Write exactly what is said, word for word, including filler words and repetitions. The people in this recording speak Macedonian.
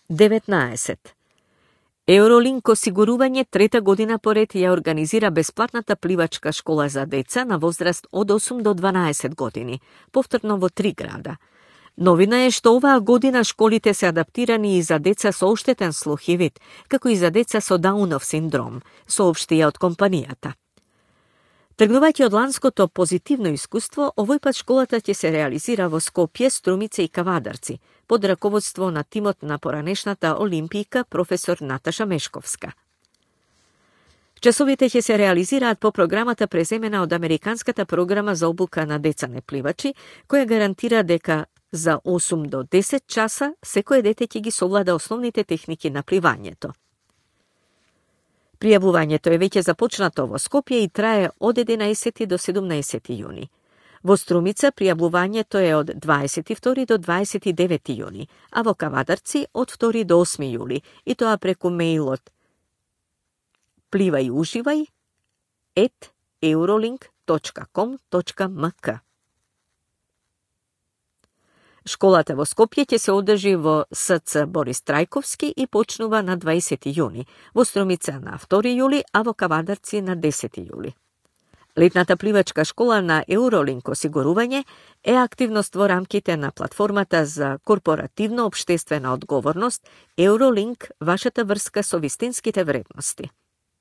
деветнаесет. Eurolink осигурување трета година поред ја организира бесплатната пливачка школа за деца на возраст од осум до дванаесет години, повторно во три града. Новина е што оваа година школите се адаптирани и за деца со оштетен слух и вид, како и за деца со Даунов синдром, соопштија од компанијата. Тргнувајќи од ланското позитивно искуство, овој пат школата ќе се реализира во Скопје, Струмица и Кавадарци, под раководство на тимот на поранешната олимпијка професор Наташа Мешковска. Часовите ќе се реализираат по програмата преземена од Американската програма за обука на деца непливачи, која гарантира дека за осум до десет часа секое дете ќе ги совлада основните техники на пливањето. Пријавувањето е веќе започнато во Скопје и трае од единаесети до седумнаесети јуни. Во Струмица пријавувањето е од дваесет и втори до дваесет и девети јуни, а во Кавадарци од втори до осми јули, и тоа преку мејлот пливај уживај ет eurolink точка com точка м к. Школата во Скопје ќе се одржи во С Ц Борис Трајковски и почнува на дваесети јуни, во Струмица на втори јули, а во Кавадарци на десети јули. Летната пливачка школа на Eurolink осигурување е активност во рамките на платформата за корпоративно обштествена одговорност Eurolink, вашата врска со вистинските вредности.